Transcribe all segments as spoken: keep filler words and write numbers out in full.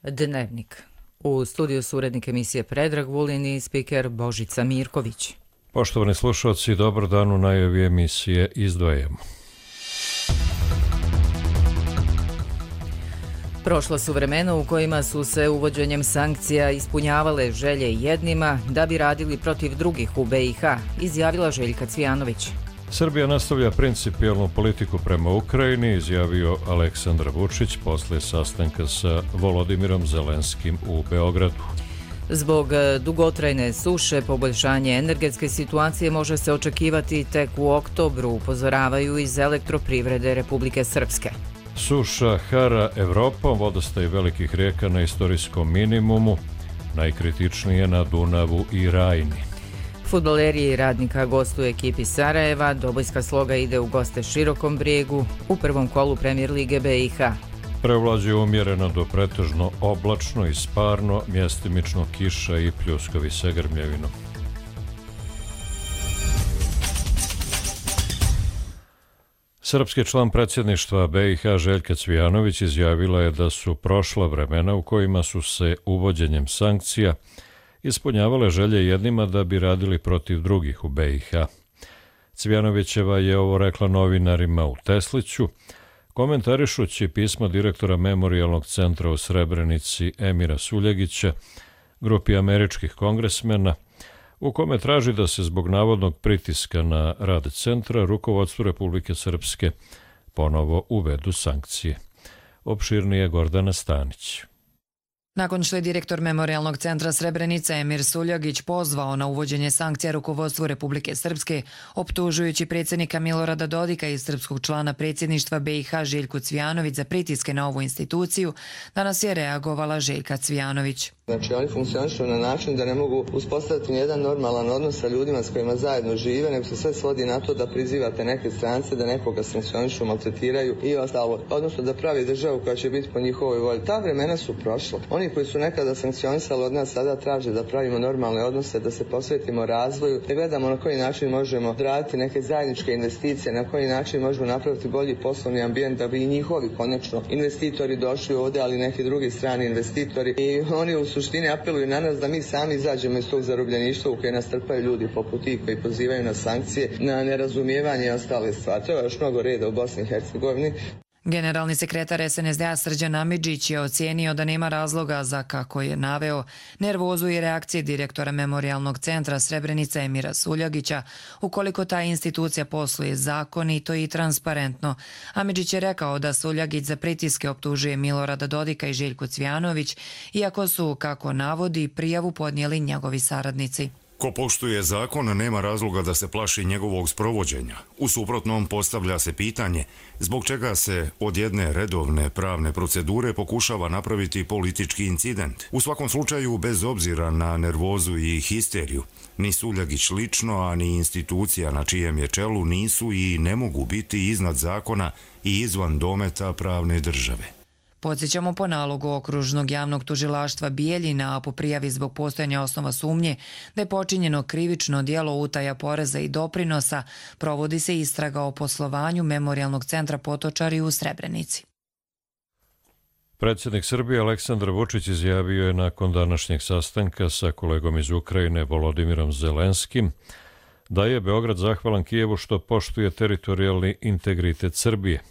Dnevnik. U studiju su urednik emisije Predrag Vulin i spiker Božica Mirković. Poštovani slušalci, dobar dan, u najavi emisije izdvajamo. Prošla su vremena u kojima su se uvođenjem sankcija ispunjavale želje jednima da bi radili protiv drugih u be i ha, izjavila Željka Cvijanović. Srbija nastavlja principijelnu politiku prema Ukrajini, izjavio Aleksandar Vučić posle sastanka sa Volodimirom Zelenskim u Beogradu. Zbog dugotrajne suše, poboljšanje energetske situacije može se očekivati tek u oktobru, upozoravaju iz Elektroprivrede Republike Srpske. Suša hara Evropom, vodostaj velikih rijeka na istorijskom minimumu, najkritičnije na Dunavu i Rajni. Fudbaleri Radnika gostuju ekipi Sarajeva, Dobojska Sloga ide u goste Širokom Brijegu u prvom kolu Premijer lige be i ha. Prevlađuje umjereno do pretežno oblačno i sparno, mjestimično kiša i pljuskovi sa grmljavinom. Srpski član predsjedništva be i ha Željka Cvijanović izjavila je da su prošla vremena u kojima su se uvođenjem sankcija ispunjavale želje jednima da bi radili protiv drugih u be i ha. Cvijanovićeva je ovo rekla novinarima u Tesliću, komentarišući pismo direktora Memorijalnog centra u Srebrenici Emira Suljagića, grupi američkih kongresmena, u kome traži da se zbog navodnog pritiska na rad centra rukovodstvu Republike Srpske ponovo uvedu sankcije. Opširnije Gordana Stanić. Nakon što je direktor Memorijalnog centra Srebrenica Emir Suljagić pozvao na uvođenje sankcija rukovodstvu Republike Srpske, optužujući predsjednika Milorada Dodika i srpskog člana predsjedništva be i ha Željku Cvijanović za pritiske na ovu instituciju, danas je reagovala Željka Cvijanović. Znači, oni funkcionišu na način da ne mogu uspostaviti nijedan normalan odnos sa ljudima s kojima zajedno žive, nego se sve svodi na to da prizivate neke strance, da nekoga sankcionišu, maltretiraju i ostalo. Odnosno da pravi državu koja će biti po njihovoj volji. Ta vremena su prošla. Oni koji su nekada sankcionisali od nas sada traže da pravimo normalne odnose, da se posvetimo razvoju, da gledamo na koji način možemo raditi neke zajedničke investicije, na koji način možemo napraviti bolji poslovni ambijent da bi i njihovi konačno investitori došli ovdje, ali neki drugi strani investitori. I oni u suštini apeluju na nas da mi sami izađemo iz tog zarobljeništva u koje nas trpaju ljudi poput tih koji pozivaju na sankcije, na nerazumijevanje i ostale stvari. To je još mnogo reda u Bosni i Hercegovini. Generalni sekretar es en es de a Srđan Amidžić je ocijenio da nema razloga za, kako je naveo, nervozu i reakcije direktora Memorijalnog centra Srebrenica Emira Suljagića ukoliko ta institucija posluje zakonito i transparentno. Amidžić je rekao da Suljagić za pritiske optužuje Milorada Dodika i Željku Cvijanović, iako su, kako navodi, prijavu podnijeli njegovi saradnici. Ko poštuje zakon, nema razloga da se plaši njegovog sprovođenja. U suprotnom postavlja se pitanje zbog čega se od jedne redovne pravne procedure pokušava napraviti politički incident. U svakom slučaju, bez obzira na nervozu i histeriju, ni Suljagić lično, a ni institucija na čijem je čelu nisu i ne mogu biti iznad zakona i izvan dometa pravne države. Podsjećamo po nalogu Okružnog javnog tužilaštva Bijeljina, a po prijavi zbog postojanja osnova sumnje da je počinjeno krivično djelo utaja poreza i doprinosa, provodi se istraga o poslovanju Memorijalnog centra Potočari u Srebrenici. Predsjednik Srbije Aleksandar Vučić izjavio je nakon današnjeg sastanka sa kolegom iz Ukrajine Volodimirom Zelenskim da je Beograd zahvalan Kijevu što poštuje teritorijalni integritet Srbije.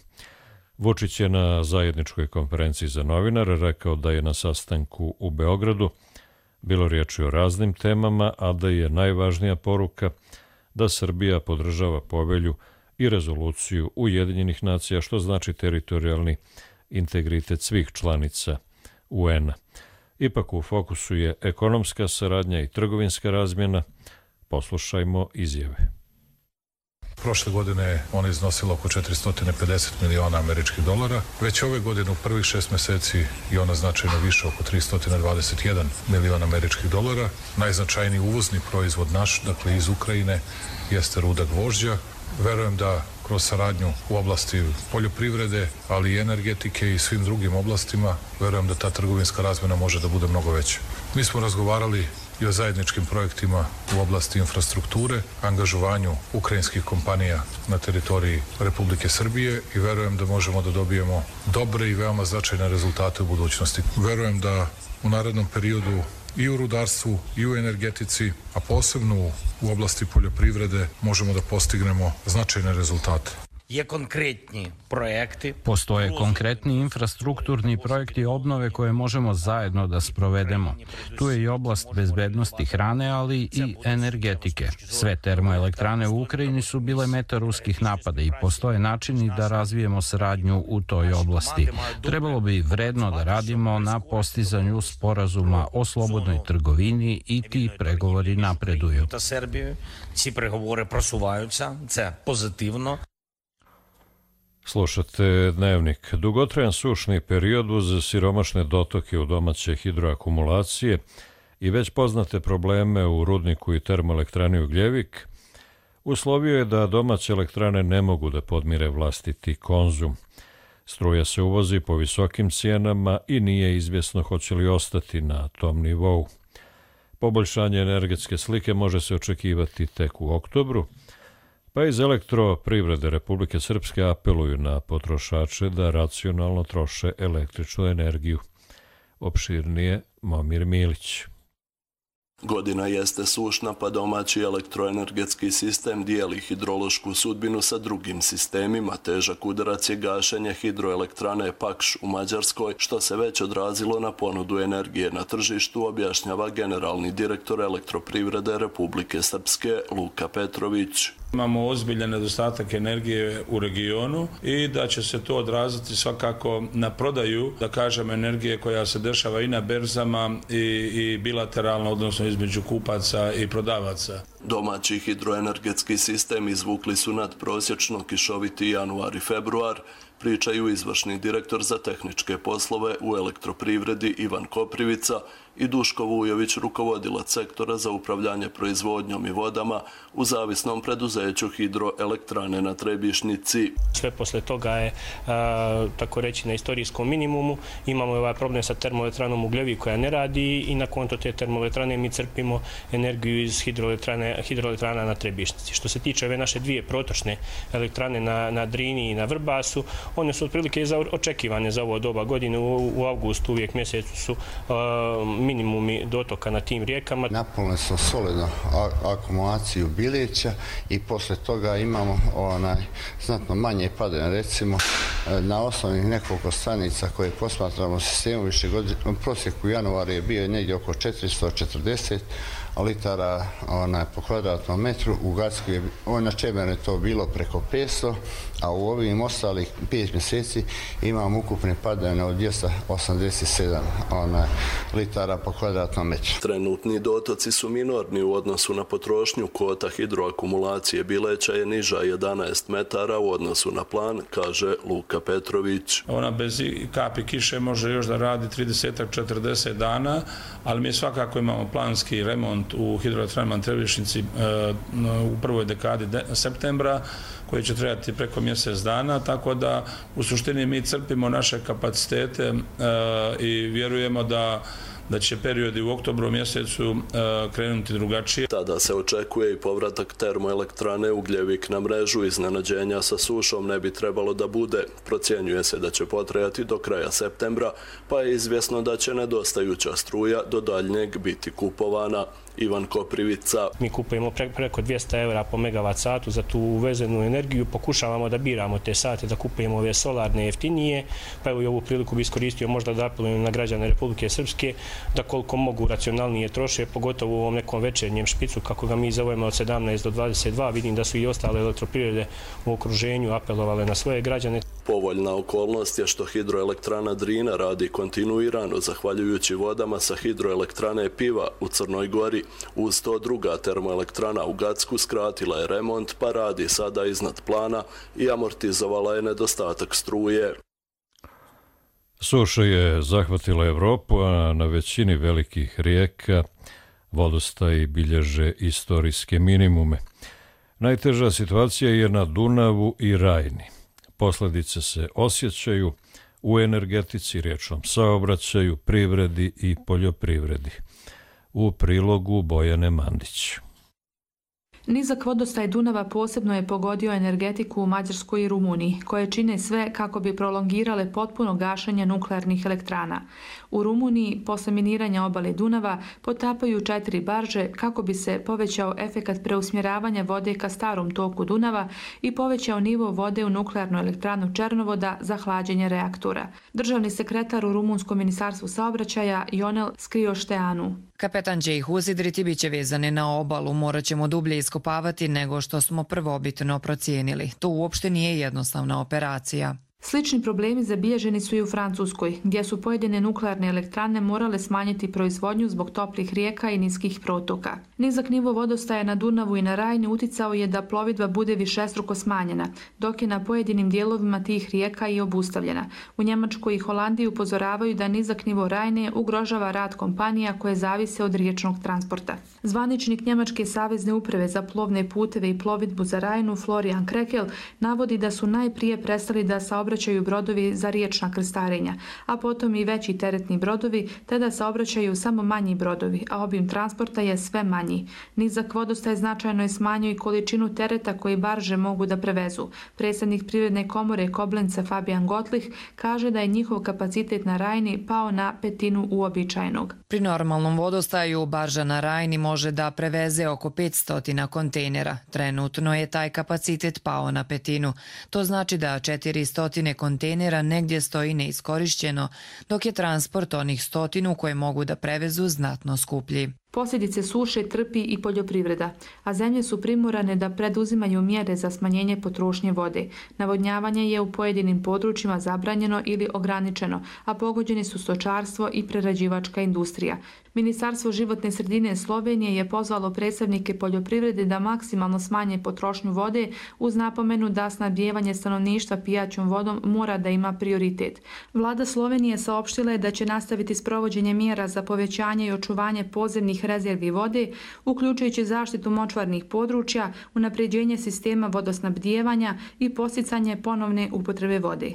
Vučić je na zajedničkoj konferenciji za novinare rekao da je na sastanku u Beogradu bilo riječi o raznim temama, a da je najvažnija poruka da Srbija podržava povelju i rezoluciju Ujedinjenih nacija, što znači teritorijalni integritet svih članica u en a. Ipak u fokusu je ekonomska saradnja i trgovinska razmjena. Poslušajmo izjave. Prošle godine ona je iznosila oko četiristo pedeset miliona američkih dolara. Već ove godine u prvih šest mjeseci je ona značajno više, oko tristo dvadeset jedan miliona američkih dolara. Najznačajniji uvozni proizvod naš, dakle iz Ukrajine, jeste ruda gvožđa. Verujem da kroz saradnju u oblasti poljoprivrede, ali i energetike i svim drugim oblastima. Verujem da ta trgovinska razmjena može da bude mnogo veća. Mi smo razgovarali i o zajedničkim projektima u oblasti infrastrukture, angažovanju ukrajinskih kompanija na teritoriji Republike Srbije i verujem da možemo da dobijemo dobre i veoma značajne rezultate u budućnosti. Verujem da u narednom periodu i u rudarstvu i u energetici, a posebno u oblasti poljoprivrede možemo da postignemo značajne rezultate. Je konkretni projekti. Postoje konkretni infrastrukturni projekti obnove koje možemo zajedno da sprovedemo. Tu je i oblast bezbednosti hrane, ali i energetike. Sve termoelektrane u Ukrajini su bile meta ruskih napada i postoje načini da razvijemo saradnju u toj oblasti. Trebalo bi vredno da radimo na postizanju sporazuma o slobodnoj trgovini i ti pregovori napreduju. Та Сербією ці переговори просуваються. Це позитивно. Slušate Dnevnik. Dugotrajan sušni period uz siromašne dotoke u domaće hidroakumulacije i već poznate probleme u rudniku i termoelektrani Ugljevik uslovio je da domaće elektrane ne mogu da podmire vlastiti konzum. Struja se uvozi po visokim cijenama i nije izvjesno hoće li ostati na tom nivou. Poboljšanje energetske slike može se očekivati tek u oktobru, pa iz elektroprivrede Republike Srpske apeluju na potrošače da racionalno troše električnu energiju. Opširnije Momir Milić. Godina jeste sušna, pa domaći elektroenergetski sistem dijeli hidrološku sudbinu sa drugim sistemima. Težak udarac je gašenje hidroelektrane Pakš u Mađarskoj, što se već odrazilo na ponudu energije na tržištu, objašnjava generalni direktor elektroprivrede Republike Srpske Luka Petrović. Imamo ozbiljan nedostatak energije u regionu i da će se to odraziti svakako na prodaju, da kažem, energije koja se dešava i na berzama i, i bilateralno, odnosno između kupaca i prodavaca. Domaći hidroenergetski sistem izvukli su nadprosječno kišoviti januar i februar, pričaju izvršni direktor za tehničke poslove u elektroprivredi Ivan Koprivica i Duško Vujović, rukovodilac sektora za upravljanje proizvodnjom i vodama u zavisnom preduzeću hidroelektrane na Trebišnici. Sve posle toga je, a, tako reći, na istorijskom minimumu. Imamo ovaj problem sa termoelektranom Ugljevik koja ne radi i na konto te termoelektrane mi crpimo energiju iz hidroelektrane, hidroelektrana na Trebišnici. Što se tiče ove naše dvije protočne elektrane na, na Drini i na Vrbasu, one su otprilike očekivane za ovo doba godine. U, u avgustu uvijek mjesecu su a, minimumi dotoka na tim rijekama. Napunili smo solidno akumulaciju Bileća i posle toga imamo onaj znatno manje padanja. Recimo, na osnovnih nekoliko stanica koje posmatramo sistemu više godine, u prosjeku januara je bio negdje oko četiristo četrdeset litara onaj, po kvadratnom metru. U Gacku je na Čemernu to bilo preko petsto, a u ovim ostalih pet mjeseci imamo ukupne padanje od dvjesto osamdeset sedam onaj, litara po kvadratnom metru. Trenutni dotoci su minorni u odnosu na potrošnju. Kvota hidroakumulacije Bileća je niža jedanaest metara u odnosu na plan, kaže Luka Petrović. Ona bez kapi kiše može još da radi trideset do četrdeset dana, ali mi svakako imamo planski remont u hidroelektranama na Trebišnici u prvoj dekadi septembra, koji će trebati preko mjesec dana, tako da u suštini mi crpimo naše kapacitete i vjerujemo da da će periodi u oktobru mjesecu uh, krenuti drugačije. Tada se očekuje i povratak termoelektrane Ugljevik na mrežu. Iznenađenja sa sušom ne bi trebalo da bude. Procjenjuje se da će potrajati do kraja septembra, pa je izvjesno da će nedostajuća struja do daljnjeg biti kupovana. Ivan Koprivica. Mi kupujemo pre, preko dvjesto eura po megavat satu za tu uvezenu energiju. Pokušavamo da biramo te sate, da kupujemo ove solarne jeftinije, pa evo i ovu priliku bi iskoristio možda da apelujem na građane Republike Srpske da koliko mogu racionalnije troše, pogotovo u ovom nekom večernjem špicu, kako ga mi zovemo od sedamnaest do dvadeset dva. Vidim da su i ostale elektroprivrede u okruženju apelovale na svoje građane. Povoljna okolnost je što hidroelektrana Drina radi kontinuirano, zahvaljujući vodama sa hidroelektrane Piva u Crnoj Gori. Uz to druga termoelektrana u Gacku skratila je remont, pa radi sada iznad plana i amortizovala je nedostatak struje. Suša je zahvatila Evropu, a na većini velikih rijeka vodostaji bilježe istorijske minimume. Najteža situacija je na Dunavu i Rajni. Posljedice se osjećaju u energetici, riječnom saobraćaju, privredi i poljoprivredi. U prilogu Bojane Mandić. Nizak vodostaj Dunava posebno je pogodio energetiku u Mađarskoj i Rumuniji, koje čine sve kako bi prolongirale potpuno gašenje nuklearnih elektrana. U Rumuniji, posle miniranja obale Dunava, potapaju četiri barže kako bi se povećao efekat preusmjeravanja vode ka starom toku Dunava i povećao nivo vode u nuklearnu elektranu Černovoda za hlađenje reaktora. Državni sekretar u Rumunskom ministarstvu saobraćaja Ionel Skriošteanu. Kapetan će ih uzidriti, bit će vezane na obalu, morat ćemo dublje iskopavati nego što smo prvobitno procijenili. To uopšte nije jednostavna operacija. Slični problemi zabilježeni su i u Francuskoj, gdje su pojedine nuklearne elektrane morale smanjiti proizvodnju zbog toplih rijeka i niskih protoka. Nizak nivo vodostaja na Dunavu i na Rajni uticao je da plovidba bude višestruko smanjena, dok je na pojedinim dijelovima tih rijeka i obustavljena. U Njemačkoj i Holandiji upozoravaju da nizak nivo Rajne ugrožava rad kompanija koje zavise od riječnog transporta. Zvaničnik Njemačke savezne uprave za plovne puteve i plovidbu za Rajnu Florian Krekel navodi da su najprije prestali da saobraćaju saobraćaju brodovi za riječna krstarenja, a potom i veći teretni brodovi, te da saobraćaju samo manji brodovi, a obim transporta je sve manji. Nizak vodostaj značajno je smanjio i količinu tereta koji barže mogu da prevezu. Predsjednik Privredne komore Koblenca Fabian Gottlich kaže da je njihov kapacitet na Rajni pao na petinu uobičajenog. Pri normalnom vodostaju barža na Rajni može da preveze oko petsto kontejnera. Trenutno je taj kapacitet pao na petinu. To znači da četiristo kontejnera negdje stoji neiskorišćeno, dok je transport onih stotinu koje mogu da prevezu znatno skuplji. Posljedice suše trpi i poljoprivreda, a zemlje su primorane da preduzimaju mjere za smanjenje potrošnje vode. Navodnjavanje je u pojedinim područjima zabranjeno ili ograničeno, a pogođeni su stočarstvo i prerađivačka industrija. Ministarstvo životne sredine Slovenije je pozvalo predstavnike poljoprivrede da maksimalno smanje potrošnju vode uz napomenu da snabdijevanje stanovništva pijaćom vodom mora da ima prioritet. Vlada Slovenije saopštila je da će nastaviti s provođenjem mjera za povećanje i očuvanje podzemnih rezervi vode, uključujući zaštitu močvarnih područja, unapređenje sistema vodosnabdijevanja i podsticanje ponovne upotrebe vode.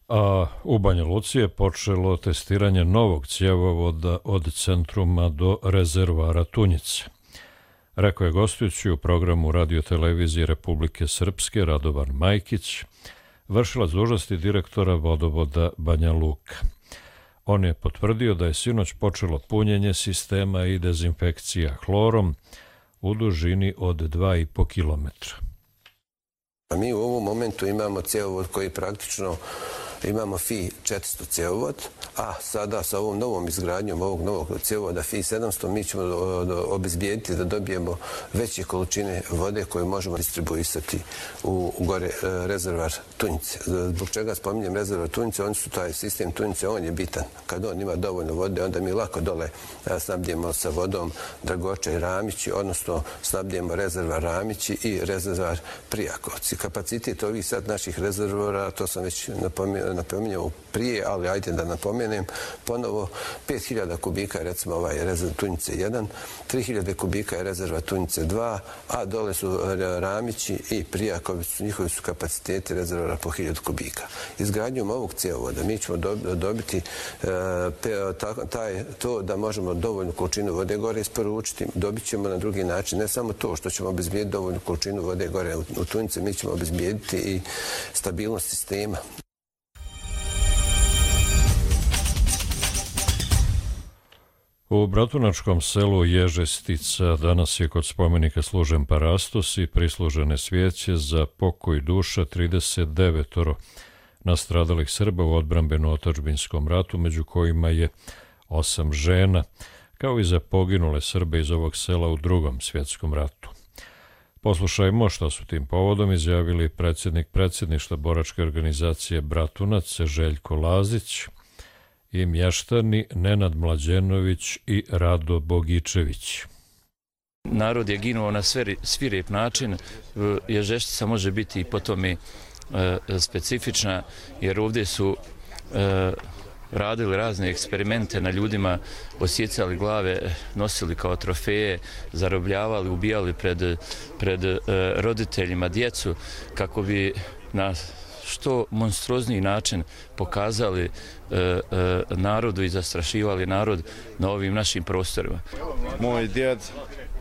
A u Banja Luci je počelo testiranje novog cjevovoda od centruma do rezervoara Tunjice. Rekao je gostujući u programu radiotelevizije Republike Srpske Radovan Majkić, vršilac dužnosti direktora vodovoda Banja Luka. On je potvrdio da je sinoć počelo punjenje sistema i dezinfekcija hlorom u dužini od dva i po kilometra. Mi u ovom momentu imamo cjevovod koji praktično imamo F I četiristo cjevovod, a sada sa ovom novom izgradnjom ovog novog cjevovoda F I sedamsto mi ćemo obezbijediti da dobijemo veće količine vode koje možemo distribuisati u gore rezervar Tunjice. Zbog čega spominjem rezervar Tunjice? Oni su taj sistem Tunjice, on je bitan. Kad on ima dovoljno vode, onda mi lako dole snabdijemo sa vodom Dragoča i Ramići, odnosno snabdijemo rezervar Ramići i rezervar Prijakovci. Kapacitet ovih sad naših rezervora, to sam već napomenuo, napominjao prije, ali ajde da napomenem ponovo, pet hiljada kubika je recimo ovaj rezervar Tunjice jedan, tri hiljade kubika je rezerva Tunjice dva, a dole su Ramići i Prijaković, njihovi su kapaciteti rezervora po hiljadu kubika. Izgradnjom ovog cjevovoda mi ćemo dobiti taj, to da možemo dovoljnu količinu vode gore isporučiti, dobit ćemo na drugi način, ne samo to što ćemo obezbijediti dovoljnu količinu vode gore u Tunjice, mi ćemo obezbijediti i stabilnost sistema. U bratunačkom selu Ježestica danas je kod spomenika služen parastos i prislužene svijeće za pokoj duša trideset devet nastradalih Srba u odbrambeno-otadžbinskom ratu, među kojima je osam žena, kao i za poginule Srbe iz ovog sela u Drugom svjetskom ratu. Poslušajmo što su tim povodom izjavili predsjednik predsjedništva boračke organizacije Bratunac Željko Lazić i mještani Nenad Mlađenović i Rado Bogičević. Narod je ginuo na svirep način. Ježeštica može biti i po tome specifična, jer ovdje su radili razne eksperimente na ljudima, osjecali glave, nosili kao trofeje, zarobljavali, ubijali pred, pred uh, roditeljima djecu kako bi na što monstruozniji način pokazali uh, uh, narodu i zastrašivali narod na ovim našim prostorima. Moj djed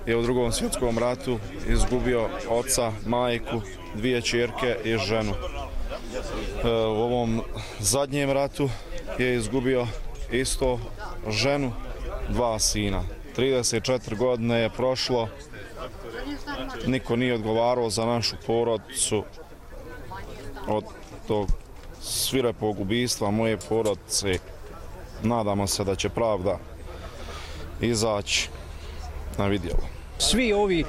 je u drugom svjetskom ratu izgubio oca, majku, dvije ćerke i ženu. U ovom zadnjem ratu je izgubio isto ženu, dva sina. trideset četiri godine je prošlo, niko nije odgovarao za našu porodicu od tog svirepog ubistva moje porodice. Nadamo se da će pravda izaći na vidjelo. Svi ovi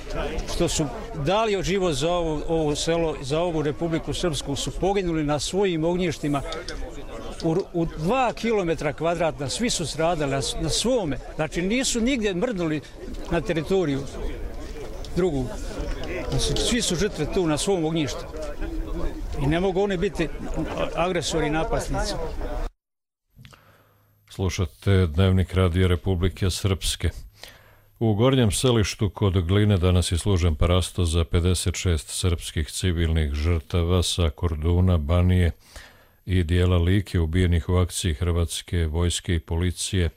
što su dali život za ovo, ovo selo, za ovu Republiku Srpsku su poginuli na svojim ognjištima u, u dva kilometra kvadratna, svi su stradali na, na svome. Znači nisu nigdje mrdnuli na teritoriju drugu. Svi su žrtve tu na svom ognjištu. I ne mogu oni biti agresori i napasnici. Slušate Dnevnik Radija Republike Srpske. U Gornjem Selištu kod Gline danas je služen parasto za pedeset šest srpskih civilnih žrtava sa Korduna, Banije i dijela Like ubijenih u akciji Hrvatske vojske i policije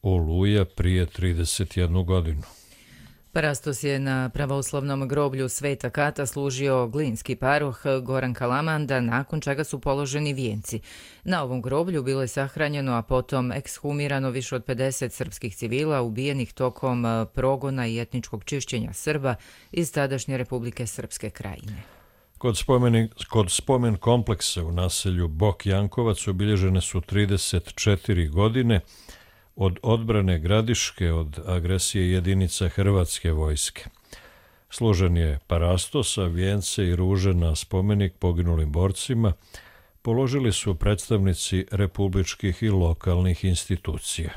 Oluja prije trideset jednu godinu. Parastos je na pravoslavnom groblju Sveta Kata služio glinski paroh Goran Kalamanda, nakon čega su položeni vijenci. Na ovom groblju bilo je sahranjeno, a potom ekshumirano više od pedeset srpskih civila ubijenih tokom progona i etničkog čišćenja Srba iz tadašnje Republike Srpske Krajine. Kod, spomeni, kod spomen kompleksa u naselju Bok Jankovac obilježene su trideset četiri godine od odbrane Gradiške od agresije jedinica Hrvatske vojske. Služen je parastos, a vijence i ruže na spomenik poginulim borcima položili su predstavnici republičkih i lokalnih institucija.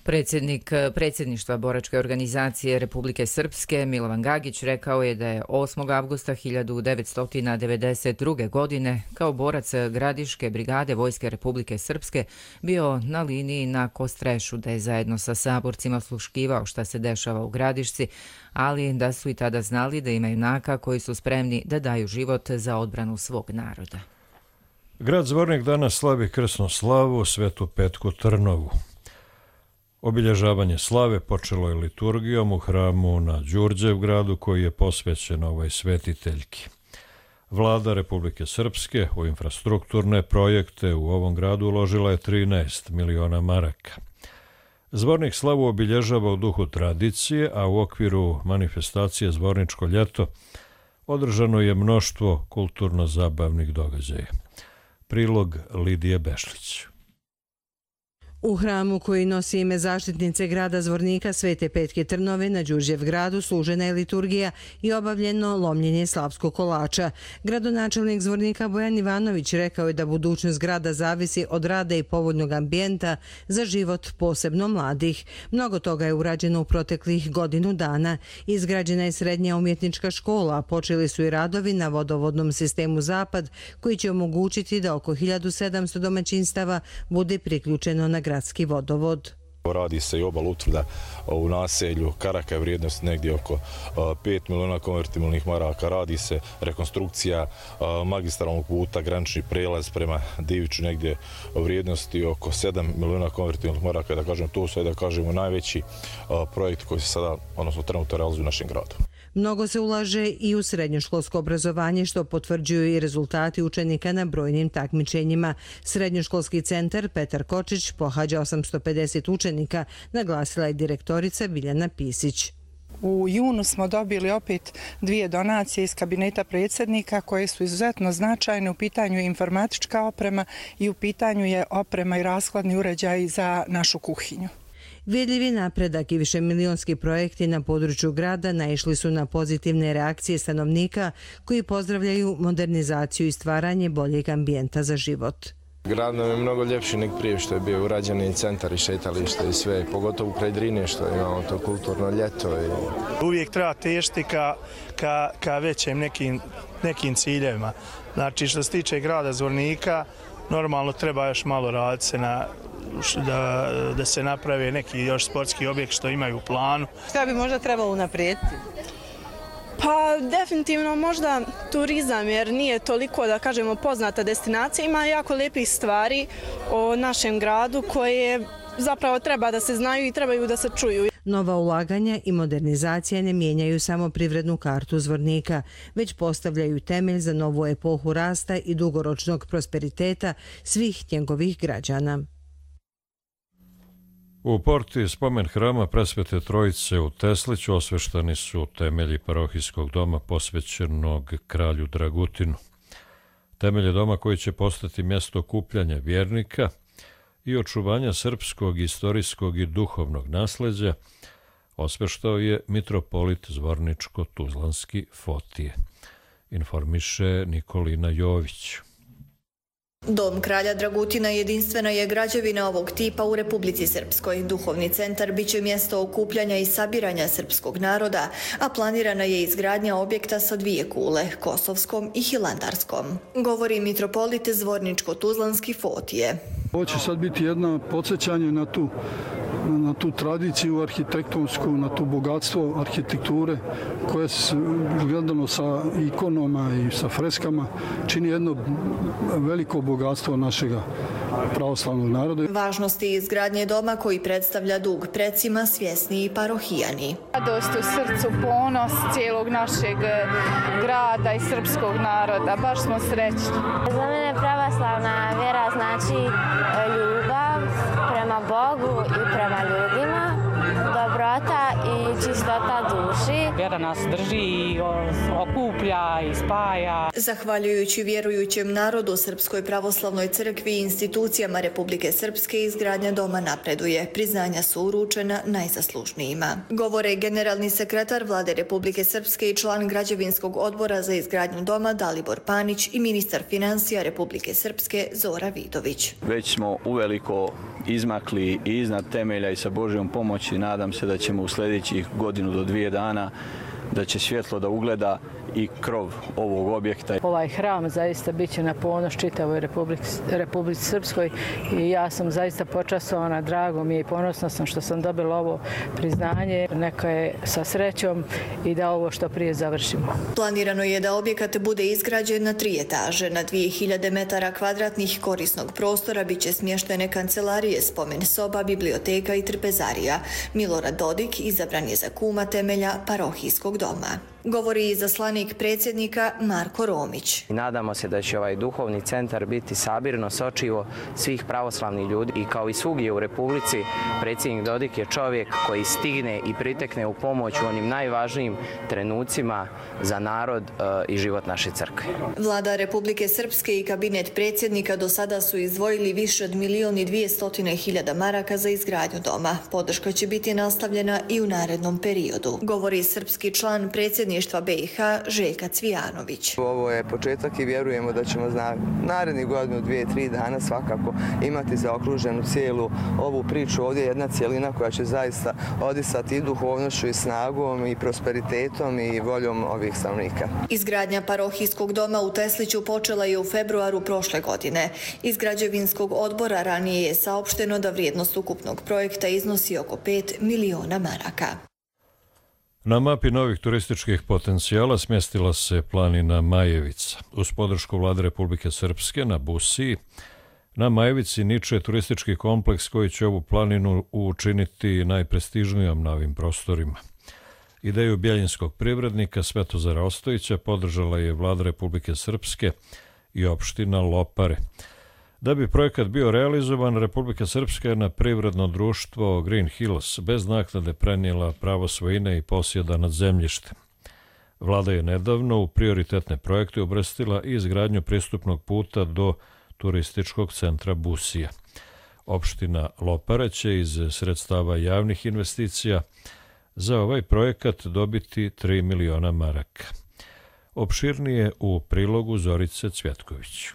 Predsjednik predsjedništva boračke organizacije Republike Srpske Milovan Gagić rekao je da je osmog avgusta hiljadu devetsto devedeset druge. godine kao borac Gradiške brigade Vojske Republike Srpske bio na liniji na Kostrešu, da je zajedno sa saborcima sluškivao šta se dešava u Gradišci, ali da su i tada znali da ima junaka koji su spremni da daju život za odbranu svog naroda. Grad Zvornik danas slavi krsnu slavu Svetu Petku Trnovu. Obilježavanje slave počelo je liturgijom u hramu na Đurđevgradu koji je posvećen ovoj svetiteljki. Vlada Republike Srpske u infrastrukturne projekte u ovom gradu uložila je trinaest miliona maraka. Zvornik slavu obilježava u duhu tradicije, a u okviru manifestacije Zvorničko ljeto održano je mnoštvo kulturno-zabavnih događaja. Prilog Lidije Bešlić. U hramu koji nosi ime zaštitnice grada Zvornika Svete Petke Trnove na Đurđevgradu služena je liturgija i obavljeno lomljenje slavskog kolača. Gradonačelnik Zvornika Bojan Ivanović rekao je da budućnost grada zavisi od rada i povoljnog ambijenta za život posebno mladih. Mnogo toga je urađeno u proteklih godinu dana. Izgrađena je srednja umjetnička škola, a počeli su i radovi na vodovodnom sistemu Zapad koji će omogućiti da oko hiljadu sedamsto domaćinstava bude priključeno na gradski vodovod. Radi se i obal utvrda u naselju Karaka, vrijednost negdje oko pet miliona konvertibilnih maraka. Radi se rekonstrukcija magistralnog puta, granični prelaz prema Diviću, negdje vrijednosti oko sedam miliona konvertibilnih maraka. Da kažem, to su da kažemo najveći projekt koji se sada, odnosno trenutno realizuje u našem gradu. Mnogo se ulaže i u srednjoškolsko obrazovanje, što potvrđuju i rezultati učenika na brojnim takmičenjima. Srednjoškolski centar Petar Kočić pohađa osamsto pedeset učenika, naglasila je direktorica Biljana Pisić. U junu smo dobili opet dvije donacije iz kabineta predsjednika koje su izuzetno značajne. U pitanju je informatička oprema i u pitanju je oprema i rashladni uređaj za našu kuhinju. Vidljivi napredak i višemilionski projekti na području grada naišli su na pozitivne reakcije stanovnika koji pozdravljaju modernizaciju i stvaranje boljeg ambijenta za život. Grad nam je mnogo ljepši nek prije što je bio urađen i centar i šetalište i sve, pogotovo kraj Drine što imamo to kulturno ljeto. I... Uvijek treba težiti ka, ka, ka većim nekim, nekim ciljevima. Znači što se tiče grada Zvornika, Normalno treba još malo raditi se na, da, da se naprave neki još sportski objekt što imaju u planu. Šta bi možda trebalo unaprijediti? Pa definitivno možda turizam, jer nije toliko, da kažemo, poznata destinacija. Ima jako lijepih stvari o našem gradu koje zapravo treba da se znaju i trebaju da se čuju. Nova ulaganja i modernizacija ne mijenjaju samo privrednu kartu Zvornika, već postavljaju temelj za novu epohu rasta i dugoročnog prosperiteta svih njegovih građana. U porti spomen hrama Presvete Trojice u Tesliću osveštani su temelji parohijskog doma posvećenog kralju Dragutinu. Temelje doma koji će postati mjesto okupljanja vjernika i očuvanja srpskog, istorijskog i duhovnog nasleđa osveštao je mitropolit Zvorničko-Tuzlanski Fotije, informiše Nikolina Jović. Dom kralja Dragutina jedinstvena je građevina ovog tipa u Republici Srpskoj. Duhovni centar biće mjesto okupljanja i sabiranja srpskog naroda, a planirana je izgradnja objekta sa dvije kule, kosovskom i hilandarskom. Govori mitropolit Zvorničko-Tuzlanski Fotije. Ovo će sad biti jedno podsjećanje na tu, na tu tradiciju arhitektonsku, na tu bogatstvo arhitekture koje se gledano sa ikonoma i sa freskama čini jedno veliko bogatstvo našega pravoslavnog naroda. Važnosti izgradnje doma koji predstavlja dug precima svjesni i parohijani. Radost u srcu, ponos cijelog našeg grada i srpskog naroda. Baš smo srećni. Za mene pravoslavna vjera znači ljubav prema Bogu i prema ljudima, dobrota i čistota duši. Vjera nas drži i okuplja i spaja. Zahvaljujući vjerujućem narodu, Srpskoj pravoslavnoj crkvi i institucijama Republike Srpske izgradnja doma napreduje. Priznanja su uručena najzaslužnijima. Govore generalni sekretar Vlade Republike Srpske i član građevinskog odbora za izgradnju doma Dalibor Panić i ministar financija Republike Srpske Zora Vidović. Već smo uveliko izmakli i iznad temelja i sa Božjom pomoći nadam se da ćemo u sljedećih godinu do dvije dana da će svjetlo da ugleda i krov ovog objekta. Ovaj hram zaista bit će na ponos čitavoj Republici, Republici Srpskoj i ja sam zaista počastovana, drago mi je i ponosna sam što sam dobila ovo priznanje. Neka je sa srećom i da ovo što prije završimo. Planirano je da objekat bude izgrađen na tri etaže. Na dvije hiljade metara kvadratnih korisnog prostora bit će smještene kancelarije, spomen soba, biblioteka i trpezarija. Milorad Dodik izabran je za kuma temelja parohijskog doma. Govori i zaslanik predsjednika Marko Romić. Nadamo se da će ovaj duhovni centar biti sabirno sočivo svih pravoslavnih ljudi i kao i svugdje u Republici predsjednik Dodik je čovjek koji stigne i pritekne u pomoć u onim najvažnijim trenucima za narod i život naše crkve. Vlada Republike Srpske i kabinet predsjednika do sada su izdvojili više od milijon i dvijestotine hiljada maraka za izgradnju doma. Podrška će biti nastavljena i u narednom periodu. Govori srpski član predsjednika B i H Željka Cvijanović. Ovo je početak i vjerujemo da ćemo za narednih godinu, dvije, tri dana svakako imati zaokruženu cijelu ovu priču. Ovdje je jedna cijelina koja će zaista odisati i duhovnošću i snagom i prosperitetom i voljom ovih stanovnika. Izgradnja parohijskog doma u Tesliću počela je u februaru prošle godine. Iz građevinskog odbora ranije je saopšteno da vrijednost ukupnog projekta iznosi oko pet miliona maraka. Na mapi novih turističkih potencijala smjestila se planina Majevica. Uz podršku Vlade Republike Srpske na Busiji, na Majevici niče turistički kompleks koji će ovu planinu učiniti najprestižnijom na ovim prostorima. Ideju bjeljinskog privrednika Svetozara Ostojića podržala je Vlada Republike Srpske i opština Lopare. Da bi projekat bio realizovan, Republika Srpska je na privredno društvo Green Hills bez naknade prenijela pravo svojine i posjeda nad zemljištem. Vlada je nedavno u prioritetne projekte uvrstila i izgradnju pristupnog puta do turističkog centra Busija. Opština Lopare će iz sredstava javnih investicija za ovaj projekat dobiti tri miliona maraka. Opširnije u prilogu Zorice Cvjetković.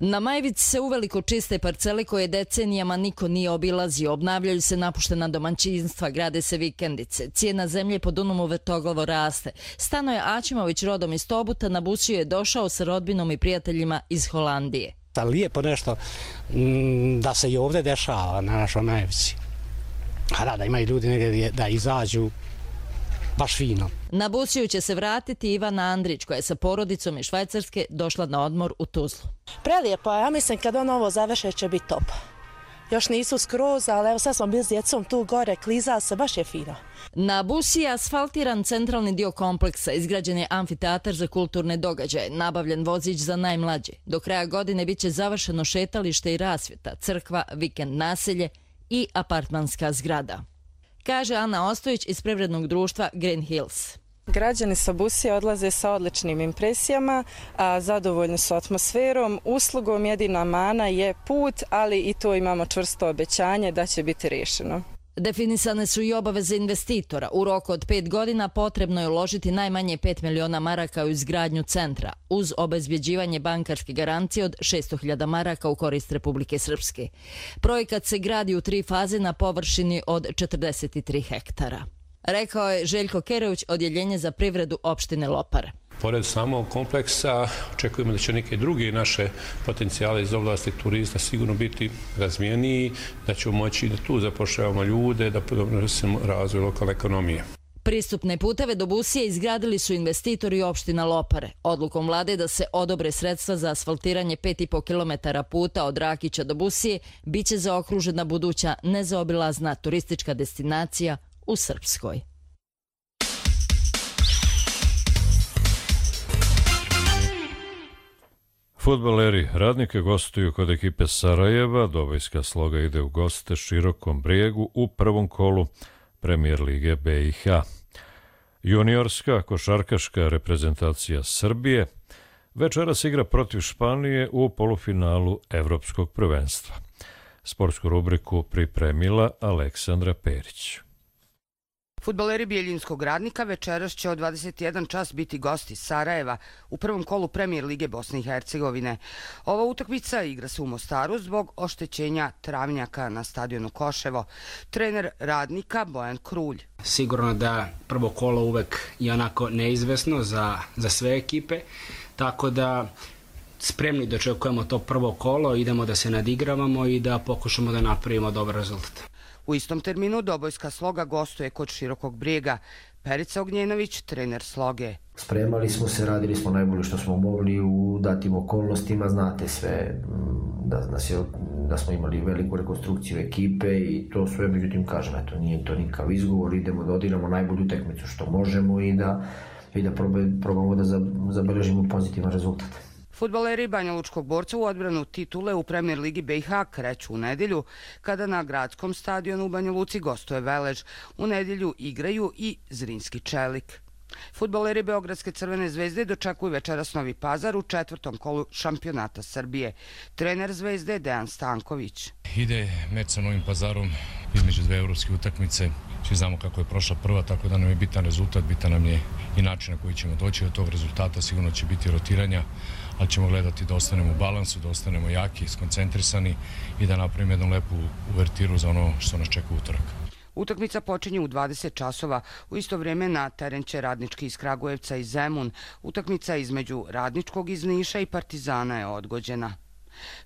Na Majevici se uveliko čiste parcele koje decenijama niko nije obilazio, obnavljaju se napuštena domaćinstva, grade se vikendice, cijena zemlje po Dunavu vrtoglavo raste. Stanoje Aćimović rodom iz Tobuta na Busiju je došao sa rodbinom i prijateljima iz Holandije. Lijepo nešto da se i ovdje dešava na našoj Majevici. A da, da imaju ljudi negdje da izađu baš fino. Na Busiju će se vratiti Ivana Andrić, koja je sa porodicom iz Švajcarske došla na odmor u Tuzlu. Prelijepo, ja mislim kad on ovo završe će biti top. Još nisu skroz, ali evo sad smo bili s djecom tu gore, kliza se, baš je fino. Na Busiji je asfaltiran centralni dio kompleksa, izgrađen je amfiteatar za kulturne događaje, nabavljen vozić za najmlađe. Do kraja godine bit će završeno šetalište i rasvjeta, crkva, vikend naselje i apartmanska zgrada. Kaže Ana Ostojić iz privrednog društva Green Hills. Građani sa Busije odlaze sa odličnim impresijama, a zadovoljni su atmosferom, uslugom. Jedina mana je put, ali i to imamo čvrsto obećanje da će biti rješeno. Definisane su i obaveze investitora. U roku od pet godina potrebno je uložiti najmanje pet miliona maraka u izgradnju centra, uz obezbjeđivanje bankarske garancije od šesto hiljada maraka u korist Republike Srpske. Projekat se gradi u tri faze na površini od četrdeset tri hektara. Rekao je Željko Kerević, odjeljenje za privredu opštine Lopar. Pored samog kompleksa očekujemo da će neke druge naše potencijale iz oblasti turizma sigurno biti razvijeniji, da ćemo moći da tu zapošljavamo ljude, da doprinesemo razvoj lokalne ekonomije. Pristupne puteve do Busije izgradili su investitori opština Lopare. Odlukom vlade da se odobre sredstva za asfaltiranje pet i po kilometara puta od Rakića do Busije biće zaokružena buduća nezaobilazna turistička destinacija u Srpskoj. Fudbaleri Radnika gostuju kod ekipe Sarajeva. Dobojska Sloga ide u goste Širokom Brijegu u prvom kolu Premijer lige B i H. Juniorska košarkaška reprezentacija Srbije večeras igra protiv Španije u polufinalu Evropskog prvenstva. Sportsku rubriku pripremila Aleksandra Perić. Fudbaleri Bijeljinskog Radnika večeras će od dvadeset jedan čas biti gosti Sarajeva u prvom kolu Premijer lige Bosne i Hercegovine. Ova utakmica igra se u Mostaru zbog oštećenja travnjaka na stadionu Koševo. Trener Radnika Bojan Krulj. Sigurno da prvo kolo uvek je onako neizvesno za, za sve ekipe, tako da spremni dočekujemo to prvo kolo, idemo da se nadigravamo i da pokušamo da napravimo dobar rezultat. U istom terminu Dobojska Sloga gostuje kod Širokog Brijega. Perica Ognjenović, trener Sloge. Spremali smo se, radili smo najbolje što smo mogli u datim okolnostima, znate sve, da, da, se, da smo imali veliku rekonstrukciju ekipe i to sve, međutim kažem, eto, nije to nikav izgovor, idemo da odigramo najbolju utakmicu što možemo i da, i da probamo da zabeležimo pozitivan rezultat. Fudbaleri Banjalučkog Borca u odbranu titule u Premijer ligi B i H kreću u nedjelju, kada na gradskom stadionu u Banja Luci gostuje Velež. U nedjelju igraju i Zrinski Čelik. Fudbaleri Beogradske Crvene zvezde dočekuju večeras Novi Pazar u četvrtom kolu šampionata Srbije. Trener Zvezde Dejan Stanković. Ide meč sa Novim Pazarom između dve evropske utakmice. Svi znamo kako je prošla prva, tako da nam je bitan rezultat, bitan nam je i način na koji ćemo doći do tog rezultata. Sigurno će biti rotiranja, ali ćemo gledati da ostanemo u balansu, da ostanemo jaki, skoncentrisani i da napravimo jednu lepu uvertiru za ono što nas čeka utorak. Utakmica počinje u dvadeset časova. U isto vrijeme na teren će Radnički iz Kragujevca i Zemun. Utakmica između Radničkog iz Niša i Partizana je odgođena.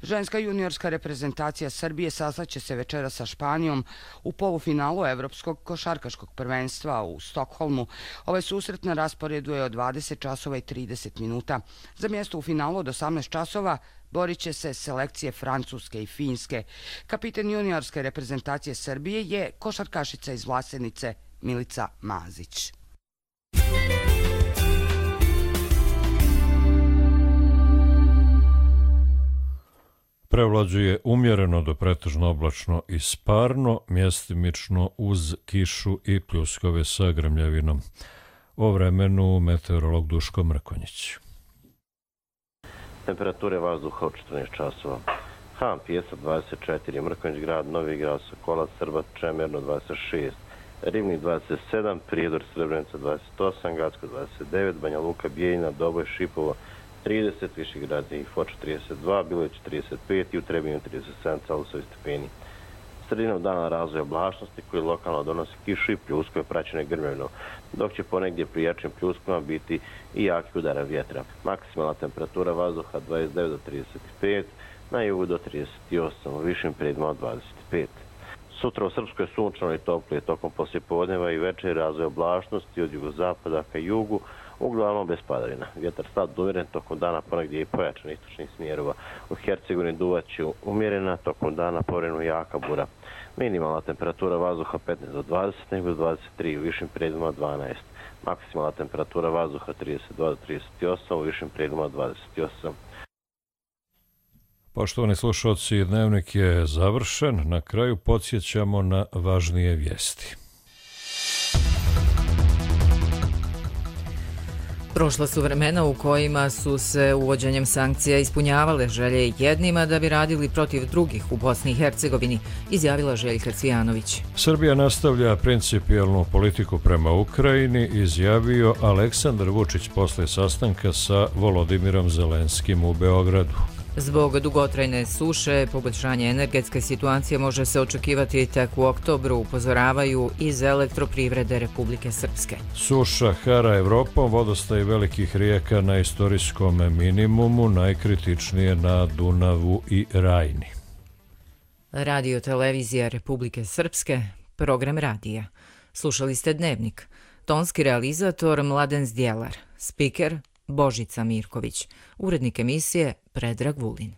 Ženska juniorska reprezentacija Srbije sastaće se večera sa Španijom u polufinalu Evropskog košarkaškog prvenstva u Stokholmu. Ovaj susret na rasporedu je od dvadeset časova i trideset minuta. Za mjesto u finalu od osamnaest časova borit će se selekcije Francuske i Finske. Kapitan juniorske reprezentacije Srbije je košarkašica iz Vlasenice Milica Mazić. Prevlađuje umjereno do pretežno oblačno i sparno, mjestimično uz kišu i pljuskove sa grmljavinom. O vremenu meteorolog Duško Mrkonjić. Temperature vazduha od četrnaest časova. Han, Pijesak dvadeset četiri, Mrkonjić grad, Novi grad, Sokolac, Srbat, Čemerno dvadeset šest, Rivnik dvadeset sedam, Prijedor, Srebrenica dvadeset osam, Gacko dvadeset devet, Banja Luka, Bijeljina, Doboj, Šipovo trideset, Višegrad i Foča trideset dva, Bilović trideset pet i u Trebinju trideset sedam celosijevi stepeni. Sredinom dana razvoja oblačnosti koji lokalno donosi kišu i pljuskove praćene grmljavinom, dok će ponegdje pri jačim pljuskovima biti i jaki udara vjetra. Maksimalna temperatura vazduha dvadeset devet do trideset pet, na jugu do trideset osam, u višim predjelima od dvadeset pet. Sutra u Srpskoj sunčano i toplije tokom poslijepodneva i večer razvoj oblačnosti od jugozapada ka jugu, uglavnom bez padavina. Vjetar slab do umjeren tokom dana, ponegdje i pojačan istočnih smjerova. U Hercegovini duvaće umjerena, tokom dana povremeno jaka bura. Minimalna temperatura vazduha petnaest do dvadeset, nego do dvadeset tri, u višim predjelima dvanaest. Maksimalna temperatura vazduha trideset dva do trideset osam, u višim predjelima dvadeset osam. Poštovani slušalci, dnevnik je završen. Na kraju podsjećamo na važnije vijesti. Prošla su vremena u kojima su se uvođenjem sankcija ispunjavale želje jednima da bi radili protiv drugih u Bosni i Hercegovini, izjavila Željka Cvijanović. Srbija nastavlja principijelnu politiku prema Ukrajini, izjavio Aleksandar Vučić posle sastanka sa Volodimirom Zelenskim u Beogradu. Zbog dugotrajne suše, poboljšanje energetske situacije može se očekivati tek u oktobru, upozoravaju iz Elektroprivrede Republike Srpske. Suša hara Evropom, vodostaj velikih rijeka na istorijskom minimumu, najkritičnije na Dunavu i Rajni. Radio televizija Republike Srpske, program radija. Slušali ste Dnevnik. Tonski realizator Mladen Zdjelar, spiker Božica Mirković, urednik emisije Predrag Vulin.